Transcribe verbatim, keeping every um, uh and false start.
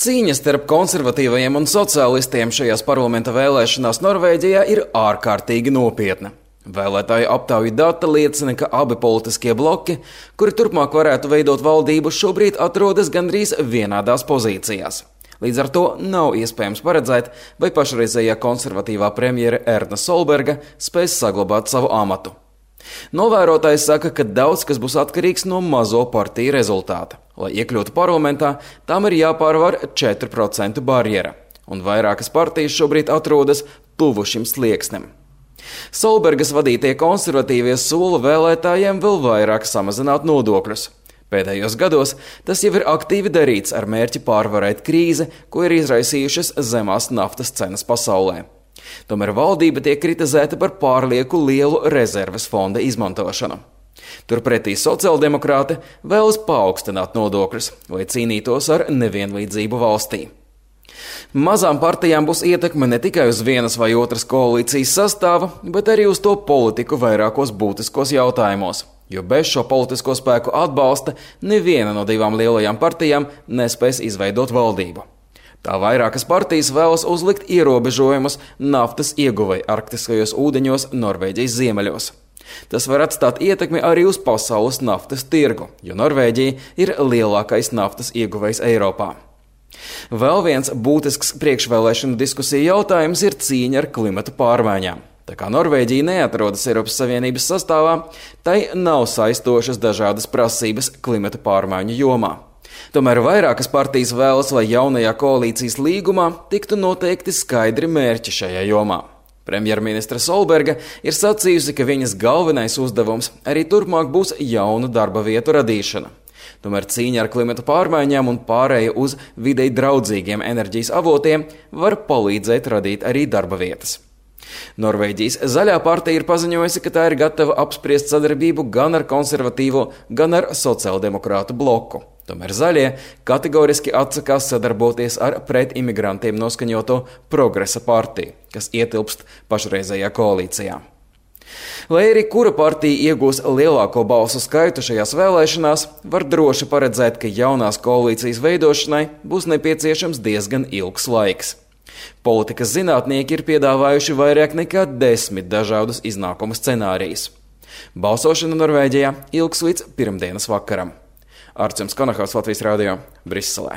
Cīņa starp konservatīvajiem un sociālistiem šajās parlamenta vēlēšanās Norvēģijā ir ārkārtīgi nopietna. Vēlētāju aptauju dati liecina, ka abi politiskie bloki, kuri turpmāk varētu veidot valdību, šobrīd atrodas gandrīz vienādās pozīcijās. Līdz ar to nav iespējams paredzēt, vai pašreizējā konservatīvā premjere Erna Solberga spēs saglabāt savu amatu. Novērotājs saka, ka daudz kas būs atkarīgs no mazo partiju rezultāta. Lai iekļūtu parlamentā, tām ir jāpārvar četru procentu barjera, un vairākas partijas šobrīd atrodas tuvu šim slieksnim. Solbergas vadītie konservatīvie sola vēlētājiem vēl vairāk samazināt nodokļus. Pēdējos gados tas jau ir aktīvi darīts ar mērķi pārvarēt krīzi, ko ir izraisījušas zemās naftas cenas pasaulē. Tomēr valdība tiek kritizēta par pārlieku lielu rezerves fonda izmantošanu. Turpretī sociāldemokrāti vēlas paaugstināt nodokļus, lai cīnītos ar nevienlīdzību valstī. Mazām partijām būs ietekme ne tikai uz vienas vai otras koalīcijas sastāva, bet arī uz to politiku vairākos būtiskos jautājumos, jo bez šo politisko spēku atbalsta neviena no divām lielajām partijām nespēs izveidot valdību. Tā vairākas partijas vēlas uzlikt ierobežojumus naftas ieguvei arktiskajos ūdeņos Norvēģijas ziemeļos. Tas var atstāt ietekmi arī uz pasaules naftas tirgu, jo Norvēģija ir lielākais naftas ieguvējs Eiropā. Vēl viens būtisks priekšvēlēšanu diskusiju jautājums ir cīņa ar klimata pārmaiņām. Tā kā Norvēģija neatrodas Eiropas Savienības sastāvā, tai nav saistošas dažādas prasības klimata pārmaiņu jomā. Tomēr vairākas partijas vēlas, lai jaunajā koalīcijas līgumā tiktu noteikti skaidri mērķi šajā jomā. Premjerministra Solberga ir sacījusi, ka viņas galvenais uzdevums arī turpmāk būs jaunu darba vietu radīšana. Tomēr cīņa ar klimata pārmaiņām un pārēja uz videi draudzīgiem enerģijas avotiem var palīdzēt radīt arī darba vietas. Norvēģijas zaļā partija ir paziņojusi, ka tā ir gatava apspriest sadarbību gan ar konservatīvo, gan ar sociāldemokrātu bloku. Tomēr zaļie kategoriski atsakās sadarboties ar pret imigrantiem noskaņoto Progresa partiju, kas ietilpst pašreizējā koalīcijā. Lai arī kura partija iegūs lielāko balsu skaitu šajās vēlēšanās, var droši paredzēt, ka jaunās koalīcijas veidošanai būs nepieciešams diezgan ilgs laiks. Politikas zinātnieki ir piedāvājuši vairāk nekā desmit dažādus iznākumu scenārijus. Balsošana Norvēģijā ilgs līdz pirmdienas vakaram. Arčuns Konahaus, Latvijas radio, Briselē.